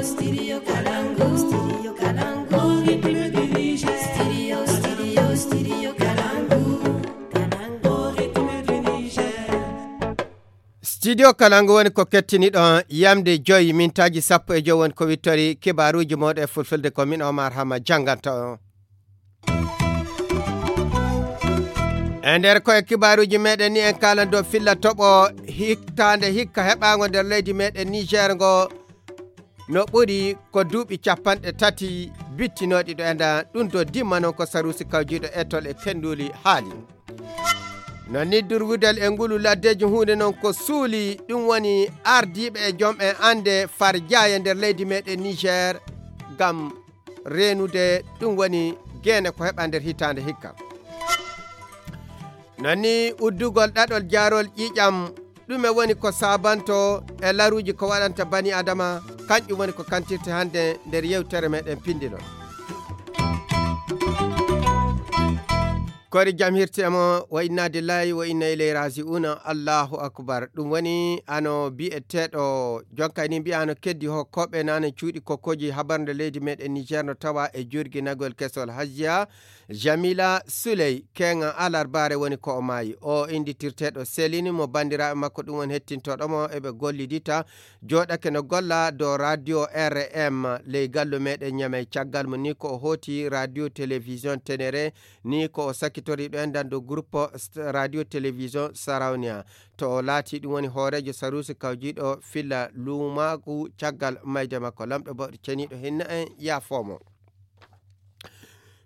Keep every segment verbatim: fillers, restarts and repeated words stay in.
Studio Kalangu, Studio Kalangu, Studio, Studio, Studio Kalangu, Kalangu, Studio Kalangu woni ko kettiniɗon yamde joyi mintaaji sappo e joyi woni ko wittori kibaaruuji mooɗon e fulfulde ko min Omar Hama jannganta on. E nder ko e kibaaruuji meɗen ni en kaalan dow filla toɓo hittaande hikka heɓaango nder leydi meɗen Niger ngo no ɓuri ko duuɓi capanɗe tati bittinooɗi ɗo enda ɗum do dimma noon ko saruusi kawjiiɗo etol e kenduuli haali. No ni durwudal e ngulu laddeeji huunde noon ko suuli ɗum woni ardiiɓe e joom en annde farjaaye nder leydi meɗen Niger ngam reenude ɗum woni geene ko heɓa nder hitaande hikka. Nani uddugol ɗaɗol jaarol ƴiiƴam ɗume woni ko saabanto e laruuji ko waɗanta bani adama kanƴum woni ko kantirte hannde nder yewtere meɗen pindinol. Kori jam hirti e mo wa inna lillahi wa inna ilayhi raji'una. Allahu akbar. Ɗum woni ano bi'eteeɗo jonka ni mbiya ano keddi hokkoɓe nane cuuɗi kokkoji habarde leydi meɗen Niger no tawa e jurginagol kesol hajjiya Jamila Suley keŋa alarbaare woni ko o maayi. O innditirteeɗo Selini mo banndiraaɓe makko ɗum woni hettintoɗo mo eɓe gollidita jooɗake no golla dow radio R M ley gallo meɗen Ñamey caggal mo ni ko o hooti radio télévision Tenere ni ko o sakitori ɗo en dan dow groupe st- radio télévision Sarawniya. To o laati ɗum woni hooreejo saruusi kawjiiɗo filla luumaagu caggal mayde makko lamɗo bawɗo ceniiɗo hinna en yaafoomo.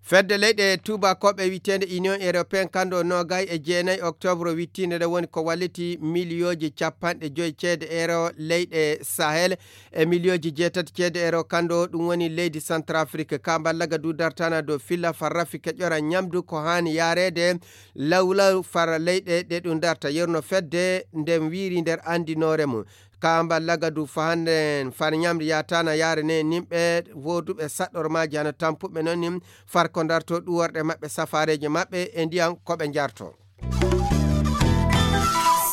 Fedde leyɗe tuubakooɓe wiyeteende Union Européen kanndo noogay e jeenayi octobre wittiinde nde woni ko walliti miliyooji capanɗe joyi ceede euro leyɗe Sahel e miliyooji jeetati ceede euro kanndo ɗum woni leydi Centrafrique ka mballagadu dartana dow filla farrafi keƴora ñamdu ko haani yaareede lawlaw fara leyɗe ɗe ɗum darta yerno fedde nden wiiri nder anndinoore mum. Ka mballagadu fahanden far ñamri yatana yaare ne nimɓe woduɓe saɗɗormaji hano tampuɓe noon nim far ko darto ɗuworɗe maɓɓe safareji maɓɓe e ndiyam ko ɓe jarto.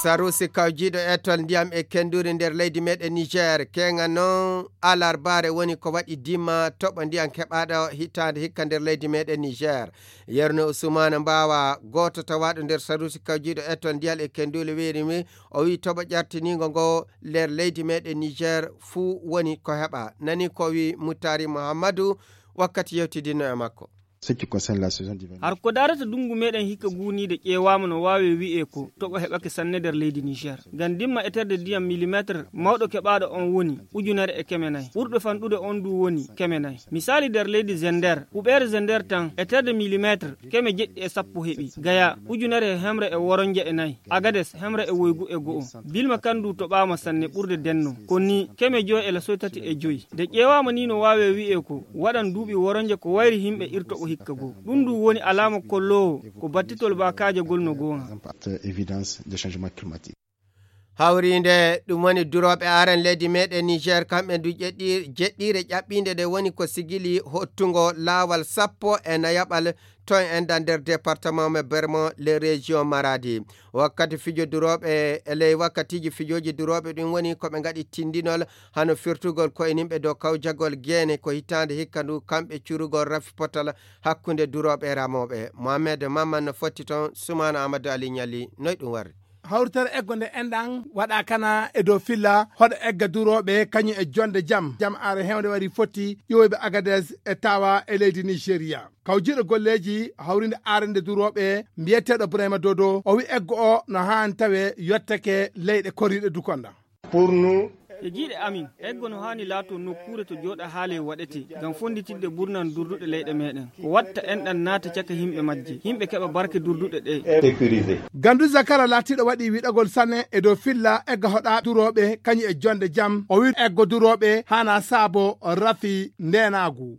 Sarusi kawjiɗo etol ndiyam e kenduri nder leydi meɗen Niger keŋa noon alarbaare woni ko waɗi dimma toɓo ndiyam keɓaɗo hitaande hikka nder leydi meɗen Niger. Yerno Usumana Mbawa gooto tawaɗo nder sarusi kawjiɗo etol ndiyam e kenduli wiiri mi o wi toɓo ƴartinigo ngo nder leydi meɗen Niger fuu woni ko heɓa. Nani ko wi Muttari Muhammadu wakkati yewtidinno e makko. Har ko darata dungu meɗen hikka guniide ƴeewaama no waawe wi'e ko toɓo heɓake sanne nder leydi Niger. Ngam dimma eterde ndiyam millimetre mawɗo keɓaaɗo on woni ujunere e keme nayi. Ɓurɗo fanɗude on du woni keme nayi. Misali nder leydi Zender, huɓeere Zender tan eterde millimetre keme jeɗɗi e sappo heɓi. Gaya, ujunere e hemre e woronje e nayi. Agades, hemre e woygu e go'o. Bilma kan du toɓaama sanne ɓurde denno. Ko ni keme joy e lasoy tati e joy. Nde ƴeewaama ni no waawe wi'e ko waɗan duuɓi woronje ko wayri himɓe irtoɓo hikka goo. Ɗum du woni alaama kolloowo ko battitol baakaajagol no goonga. Hawriinde ɗum woni durooɓe aran leydi meɗen Niger kamɓe du jeɗɗi- jeɗɗiire ƴaɓɓiinde nde woni ko sigili hottungo laawal sappo e nayaɓal ton enda nder département mo Bermo les régions Maradi. Wakkati fijo durooɓe e ley wakkatiji fijoji durooɓe ɗum woni ko ɓe ngaɗi tindinol hano firtugol koye nimɓe dow kawjagol geene ko hitaande hikka ndu kamɓe curugol rafi potal hakkunde durooɓe e ramooɓe. Mohamed Mamman no fotti toon Sumaana Amadou Ali Ñalli noy ɗum warri. Hawritere eggo nde enɗan waɗa kana e dow filla hoɗa egga durooɓe kañum e jonde jam jam are hewnde wari fotti ƴiwoyɓe Agadez e tawa e leydi Nigeria. Kawjiiɗo golleeji hawrinde arande durooɓe mbiyeteeɗo Burayma Dodo o wi eggo o no haani tawe yottake leyɗe koriiɗe dukonda. E jiiɗe amin eggo no haani laato nokkuure to jooɗa haale waɗete ngam fonnditidde burnan durduɗe leyɗe meɗen ko watta enɗan naata caka himɓe majje himɓe keɓa barke durduɗe ɗe. Gandu Zakara laatiiɗo waɗi wiɗagol sanne e dow filla egga hoɗa durooɓe kañum e jonde jam o wi eggo durooɓe haana saabo rafi ndenaagu.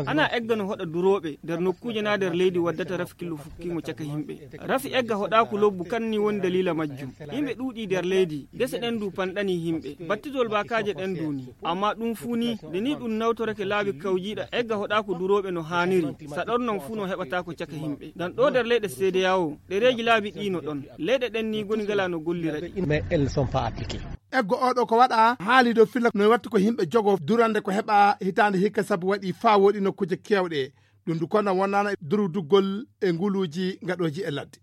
Ana egga no hoɗa durooɓe nder nokkuuje na nder leydi waddata rafi killo fukkingo caka himɓe. Rafi egga hoɗaaku lobbu kan ni woni daliila majjum. Himɓe ɗuuɗi nder leydi gese ɗen du panɗani himɓe battitol baakaaje ɗen du ni. Amma ɗum fuu ni nde ni ɗum nawtorake laabi kawjiiɗa egga hoɗaaku durooɓe no haaniri saɗornon fuu no heɓataako caka himɓe ngam ɗo nder leyɗe seedeyawo ɗereeji laabi ɗi no ɗon. Leyɗe ɗen ni goni ngala no gollira ɗi. Eggo oɗo ko waɗa haali dow filla no wattu ko yimɓe jogo durande ko heɓa hitaande hikka sabu waɗi faa woɗi nokkuuje kewɗe. Ɗum du kono wonnaana durduggol e nguluuji ngaɗooji e ladde.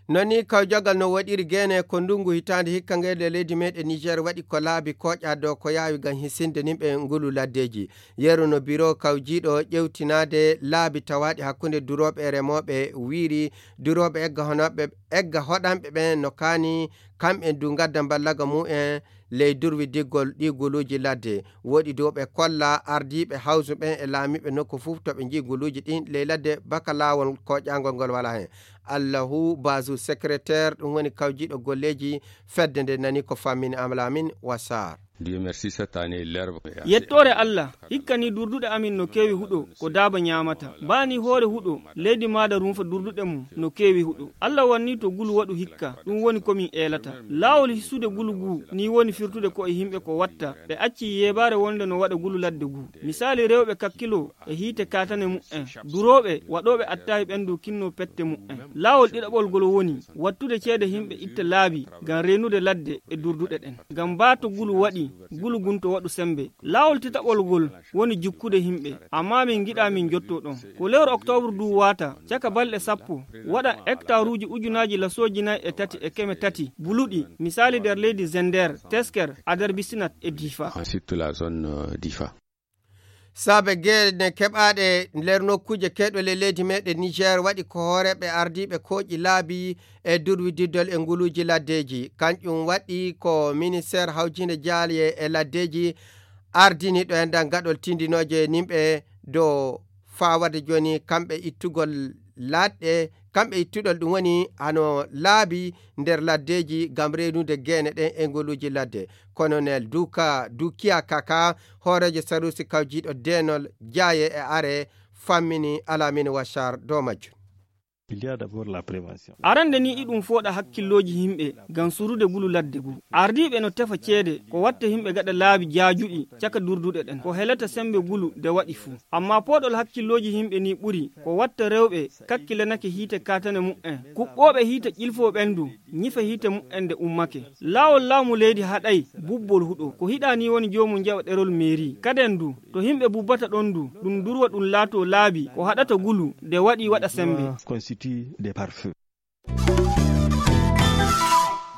Noni kawjagal no waɗiri gene ko ndungu hitaande hikka ngel e leydi meɗen Niger waɗi ko laabi koƴa dow ko yaawi ngam hisinde nimɓe ngulu laddeji. Yeru no biro kawjiɗo ƴewtinaade laabi tawaɗi hakkunde durooɓe e remooɓe wiiri durooɓe egga honoɓe, egga hoɗanɓe ɓen no kaani kamɓe du ngadda mballaga mumen ley durwidiggol ɗi guluuji ladde. Woɗi dow ɓe kolla ardiiɓe hawsu ɓen e laamiiɓe nokku fof to ɓe njii guluuji ɗin ley ladde baka laawol koƴangol ngol wala hen. Allahu Bazu, secrétaire, ɗum woni kawjiɗo golleeji fedde nde nani ko fammini Amlamin Wassar. Dieu merci, cette année, l'herbe est assez... Yettoore Allah, hikka ni durduɗe amin no keewi huɗo, ko daaba ñaamata. Baa ni hoore huɗo, leydi maada rumfa durduɗe mum, no keewi huɗo. Allah wanni to gulu waɗu hikka, ɗum woni ko min eelata. Laawol hisude gulu gu, ni woni firtude ko e yimɓe ko watta. Ɓe acci yeebaare wonde no waɗa gulu ladde gu. Misaali rewɓe kakkilo, e hiite kaatane mu'en. Durooɓe, waɗooɓe attaahi ɓen du kinno pette mu'en. Laawol ɗiɗaɓol ngol woni wattude ceede yimɓe itta laabi ngam reenude ladde e durduɗe ɗen. Ngam baa to gulu waɗi, gulu gun to waɗu sembe. Laawol tataɓol ngol woni jukkude yimɓe. Ammaa min ngiɗaa min jotto ɗon. Ko lewru oktoobre du waata, caka balɗe sappo, waɗa hektaruuji ujunaaji lasooji nay e tati e keme tati buluɗi, misaali nder leydi Zender, Tesker, Ader Bisinat e Difa. Ensuite, la zone, euh, Difa. Saabe geɗe keɓaaɗe nder nokkuuje keɗɗe leydi meɗen Niger waɗi ko hooreeɓe ardiiɓe kooƴi laabi e durwididdol e nguluuji laddeeji. Kanƴum waɗi ko ministeer hawjinde jaalye e laddeeji ardini ɗo enɗan gaɗol tindinooje nimɓe dow faa waɗde jooni kamɓe ittugol laɗɗe, kamɓe ittuɗol ɗum woni hano laabi nder laddeeji ngam reenude geene ɗen e ngoluuji ladde. Colonel Duka, Dukiya Kaka, hooreejo saruusi kawjiiɗo deenol jaaye e are, fammini Alamine Wachar dow majjum. Il y a d'abord la prévention. Arande ni iɗum fooɗa hakkillooji yimɓe ngam surude gulu ladde gu. Ardiiɓe no tefa ceede ko watta yimɓe gaɗa laabi jaajuɗi caka durduɗe ɗen. Ko helata sembe gulu de waɗi fuu. Amma pooɗol hakkillooji yimɓe ni ɓuri ko watta rewɓe kakkilanake hiite kaatane mu'en. Kuɓɓooɓe hiite ƴilfoo ɓen du, ñifa hiite mu'en de ummake. Laawol laamu leydi haɗay bubbol huɗo. Ko hiɗa ni woni joomum jaɓa ɗerol meeri. Kaden du, to yimɓe bubbata ɗon du, ɗum durwa ɗum laatoo laabi ko haɗata gulu de waɗi waɗa sembe. Constitue des pare-feu.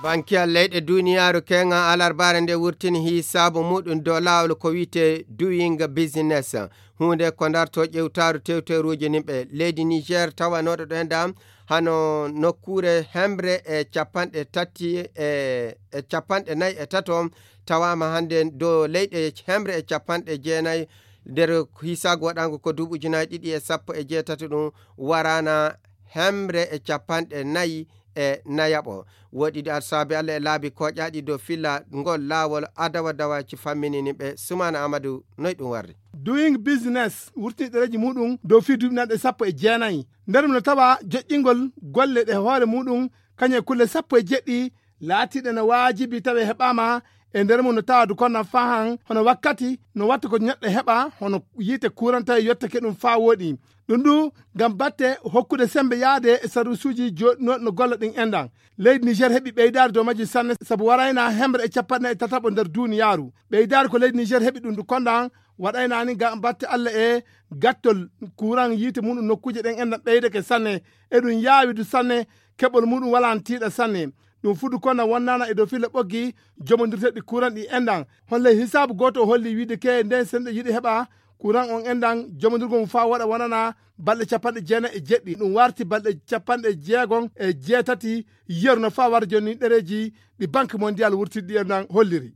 Bankiyal leyɗe duniyaaru keŋa alarbaare nde wurtini hisaabu muɗum dow laawol ko wi'etee Doing Business. Huunde ko ndarto ƴewtaaru tewteeruuji nimɓe leydi Niger tawanooɗo ɗo enɗam hano nokkuure hemre e capanɗe tati e, e capanɗe nayi e tato tawaama hannde dow leyɗe hemre e capanɗe jeenayi nder hisaagu waɗaangu ko duuɓi ujunaaji ɗiɗi e sappo e jeetati ɗum waraana hemre e capanɗe nayi e nayaɓo. Woɗi ɗi alsaabi Allah e laabi koƴaaɗi dow filla ngol laawol adawa dawaci famminini ɓe Sumaana Amadu noy ɗum warri. Doing Business wurtini ɗereeji muɗum dow fii duuɓi nanɗe sappo e jeenayi. Nder mum no tawa joƴƴingol golle ɗe hoore muɗum kañum e kulle sappo e jeɗɗi laatiiɗe no waajibi tawi heɓaama e nder mum no tawa du kono fahan hono wakkati no watta ko neɗɗo heɓa hono yiite kuuran tawi yottake ɗum faa wooɗi. Ɗum du ngam batte hokkude sembe yaade e sarusuuji jooɗinooɗi no golla ɗin enɗan. Leydi Niger heɓi ɓeydaari dow majji sanne sabu warayna hemre e capanɗe nayi e tataɓo nder duuniyaaru. Ɓeydaari ko leydi Niger heɓi ɗum du kondan waɗaynaani ngam batte Allah e gattol kuuran yiite muɗum nokkuuje ɗen enɗan ɓeydake sanne. Eɗum yaawi du sanne, keɓol muɗum walaano tiiɗa sanne. Ɗum fuu du kono wonnaana e dow filla ɓoggi jomondirteeɗi kuuran ɗi enɗan. Holle hisaabu gooto o holli wiide ke nden senɗo yiɗi heɓa kuuran on enɗan jomondirgol mum faa waɗa wonana balɗe capanɗe jeenayi e jeɗɗi. Ɗum warti balɗe capanɗe jeegom e jeetati yeru no faa wara jooni ɗereeji ɗi Banque Mondiale wurtidɗi enɗan holliri.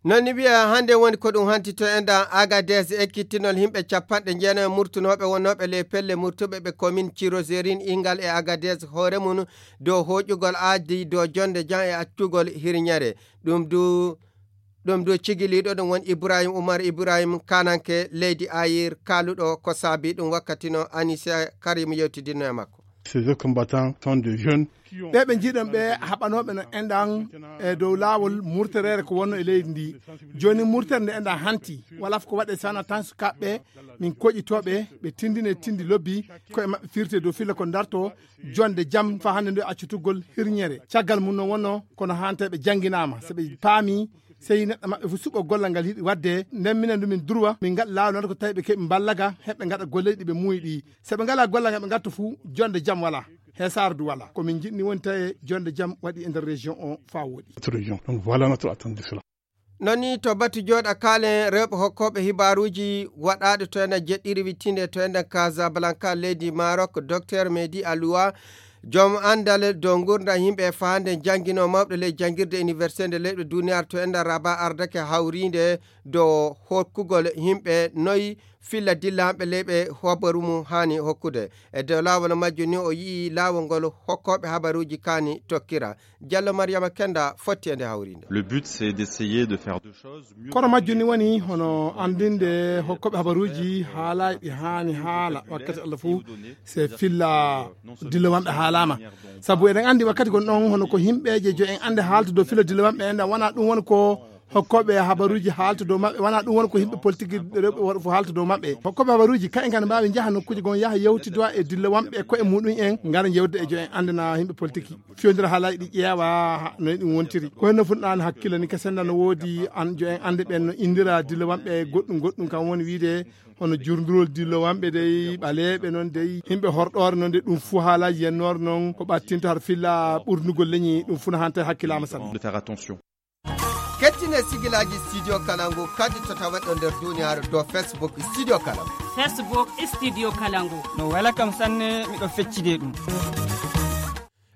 Non ni wiya hannde woni ko ɗum hanti to enɗan Agadez ekkittinol yimɓe capanɗe jeenayi murtunooɓe wonnooɓe ley pelle murtuɓe ɓe commune Cirozerin Ingal e Agadez hoore mum dow hooƴugol aadi dow jonde jam e accugol hirñere. Ɗum du, ɗum du cigiliiɗo ɗum woni Ibrahim Umar Ibrahim kananke leydi Ayir kaaluɗo ko saabi ɗum wakkati no Anise Karim yewtidinno e makko. Ces ex-combattants sont des jeunes. Ɓe ɓe njiɗon ɓe haɓanooɓe no enɗan e dow laawol murtereere ko wonno e leydi ndi. Jooni murtere nde enɗan hanti, wala ko waɗe sana tan sukaaɓe min koƴitooɓe, ɓe tindine tindi lobbi, koye maɓɓe firte dow filla ko darto, jonde jam fa hannde nde accutugol hirñere. Caggal mum no wonno kono hanta ɓe jannginaama, so ɓe paami, sey neɗɗo maɓɓe fof suɓo gollal ngal yiɗi waɗde, nden minen ndu min durwa, min ngaɗa laawol noon ko tawi ɓe keɓi mballaga, heɓe ngaɗa golleeji ɗi ɓe muuyi ɗi. So ɓe ngalaa gollal ngal ɓe ngarta fof, jonde jam wala, heesaare du wala. Ko min njiɗni woni tawi jonde jam waɗi e nder région o faa wooɗi. Notre région. Donc voilà notre attente de cela. Noon ni to batu jooɗa kaalen rewɓe hokkooɓe hibaaruuji waɗaaɗo to enen jeɗɗiri wittinde to enen Casablanca leydi Maroc, Docteur Mehdi Aloua, joom anndal dow nguurndam yimɓe e faande jannginoo mawɓe ley janngirde université nde leyɗe duniyaaru to enen Rabat ardake hawriinde dow hokkugol yimɓe noy filla dilla hamɓe leyɓe hobaru mum haani hokkude. E dow laawol majjum ni o yi'i laawol ngol hokkooɓe habaruuji kaani tokkira. Diallo Mariama Kenda fotti e nde hawriinde. Le but, c'est d'essayer de faire deux choses. Kono majjum ni woni hono anndinde hokkooɓe habaruuji haalaaji ɗi haani haala wakkati Allah fof, se filla dilla wamɓe haalaama. Sabu eɗen anndi wakkati gon ɗon hono ko yimɓe je jo en annde haalta dow filla dilla wamɓe en, wona ɗum woni ko hokkooɓe habaruuji haalta dow maɓɓe, wona ɗum woni ko yimɓe politique rewɓe worɓe fof haalta dow maɓɓe. Hokkooɓe habaruuji kayen kan mbaawi njaha nokkuuji gon yaha yewtidowa e dilla wamɓe e koye muɗum en, ngara jewde e jo en anndana yimɓe politique. Fiyondira haalaaji ɗi ƴeewa ha, no ɗum wontiri. Ko henno fuɗnaani hakkille ni kesen no woodi an jo en annde ɓen no indira dilla wamɓe goɗɗum goɗɗum kam woni wiide hono jurdurol dilla wamɓe dey, ɓaleeɓe noon dey, yimɓe horɗoore noon dey, ɗum fuu haalaaji yennoore noon ko ɓattinta har filla ɓurnugol leñi, ɗum fuu no hanta hakkilaama sanne. De faire attention. Kettine sigilaaji Studio Kalangu kadi to taweɗo nder duniyaaru dow Facebook Studio Kalangu. Facebook Studio Kalangu. No wela kam sanne, miɗo feccide ɗum.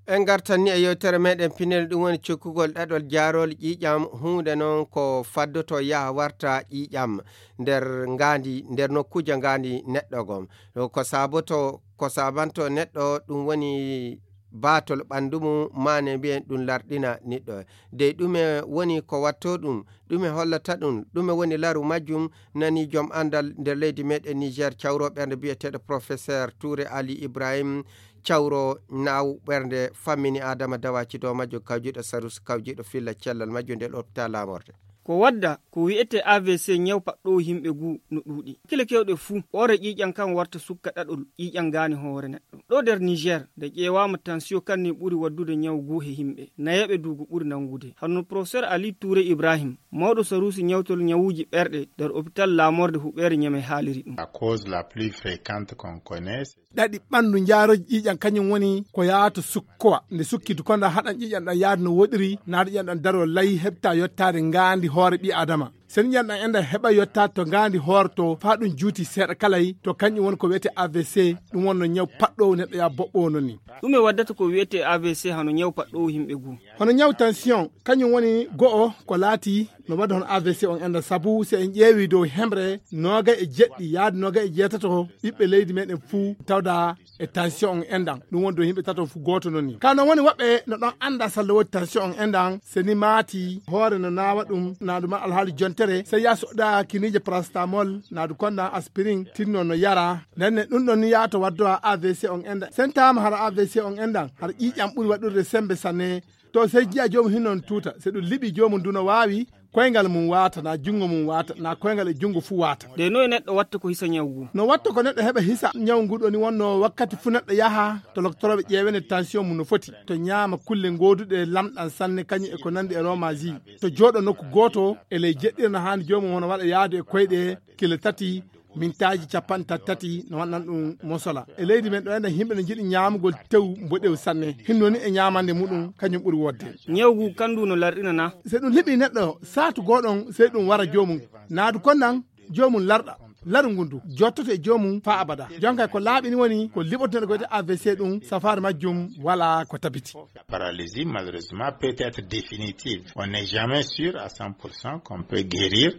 En ngartan ni e yewtere meɗen pinel, ɗum woni cikkugol ɗaɗol jaarol ƴiiƴam, huunde noon ko faddoto yaha warta ƴiiƴam nder ngaandi, nder nokkuuje ngaandi neɗɗo gom. Ko saboto, ko sabanto neɗɗo, ɗum woni baatol ɓanndu mum, maane mbiyen ɗum larɗina niɗɗo. Dey ɗume woni ko watto ɗum? Ɗume hollata ɗum? Ɗume woni laru majjum? Nani joom anndal nder leydi meɗen Niger, cawro ɓernde biyeteeɗo Professeur Touré Ali Ibrahim, cawro naaw ɓernde fammini Adama Dawaci dow majjo, kawjiɗo sarus, kawjiɗo filla cellal majjo nder hôpital laamorde. Ko wadda ko wi'etee A V C, ñaw paɗɗoowo yimɓe guu no ɗuuɗi. Hakkille keewɗe fuu, ɓoore ƴiiƴam kan warta sukka ɗaɗol ƴiiƴam ngaani hoore neɗɗo. Ɗo nder Niger, nde ƴeewaama, tension kan ni ɓuri waddude ñaw guu he yimɓe. Nayeeɓe duugu ɓuri nanngude. Hono Professeur Ali Touré Ibrahim, mawɗo saruusi ñawtol ñawuuji ɓerɗe nder hôpital laamorde huɓeere Ñame haaliri ɗum. La cause la plus fréquente qu'on connaît, c'est ɗaɗi ɓanndu njaarooji ƴiiƴam, kañum woni ko yahata sukkowa. Nde sukki dukonda haɗan ƴiiƴam ɗam yaade no woɗiri, naata ƴiiƴam ɗam daroo lay heɓta yottaade ngaandi hoore ɓii Adama. Sen ƴiiƴam ɗam enda heɓa yottaade to ngaandi hoore to, faa ɗum juuti seeɗa kalay, to kañum woni ko wi'etee A V C, ɗum wonno ñaw paɗɗoowo neɗɗo yaa boɓɓoowo non ni. Ɗume waddata ko wi'etee A V C hano ñaw paɗɗoowo yimɓe guu? Hono ñaw tension, kañum woni go'o ko laati no wadde hono A V C on enda, sabu si en ƴeewi dow hemre noogay e jeɗɗi yaade noogay e jeetato ɓiɓɓe leydi meɗen fuu tawda e tension on endan. Ɗum woni dow yimɓe tato fuu gooto non ni. Ka no woni woɓɓe no ɗon anda salla woodi tension on endan, se ni maati hoore no naawa ɗum, naadu ma alhaali jontere, sey yaa soɗɗa kiniije paracétamol, naadu kondan aspirin, tinno no yara. Nden ne ɗum ɗon ni yaato waddowa A V C on endan. Sen taama hara A V C on endan, hara ƴiiƴam ɓuri waɗude sembe sanne. To sey jiya joomum hinno no tuuta, se ɗum liɓi joomum du no waawi koyngal mum waata, na junngo mum waata, na koyngal e junngo fuu waata. De noye neɗɗo watta ko hisa ñaw ngu? No watta ko neɗɗo heɓa hisa ñaw ngu ɗoni wonno wakkati fuu neɗɗo yaha to loktorooɓe ƴeewene tension mum no foti, to ñaama kulle gooduɗe lamɗam sanne kañum e ko nandi e romaji, to jooɗo nokku gooto e ley jeɗɗire no haani joomum hono waɗa yaadu e koyɗe kile tati, mintaaji capanɗe tati tati no waɗnan ɗum mosola. E leydi men ɗo enen yimɓe no njiɗi ñaamugol tew mboɗew sanne. Hinno ni e ñaamande muɗum kañum ɓuri wodde. Ñaw ngu kan ndu no larɗina na? Se ɗum liɓi neɗɗo saatu gooɗon sey ɗum wara joomum. Naadu konnan joomum larɗa. Laru ngun du jottoto e joomum faa abada. Jonka ko laaɓi ni woni ko liɓoto neɗɗo ko wiyetee A V C ɗum safaare majjum wala ko tabiti. La paralysie, malheureusement, peut être définitive. On n'est jamais sûr à cent pour cent qu'on peut guérir.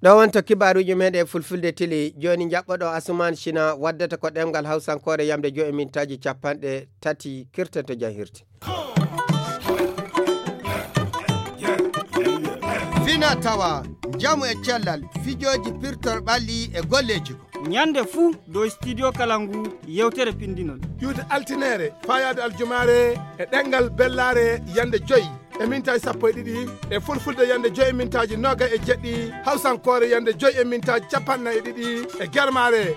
Ɗo wonto kibaaruuji meɗen e fulfulde tili. Jooni njaɓɓoɗo Asuman Sina waddata ko ɗemngal Hawsankoore yamde joy e mintaaji capanɗe tati kirtanto jahirte. Fina tawa, njamu e cellal, fijooji pirtor ɓalli e golleeji ko. Ñande fuu dow Studio Kalangu yewtere pinndi non. Ƴuwde altineere, faayaade aljumaare e ɗemngal bellaare yande joy e mintaaji sappo e ɗiɗi, e fulfulde yande joy e mintaaji noogay e jeɗɗi, hawsankoore yande joy e mintaaji capanɗe nayi e ɗiɗi, e germaare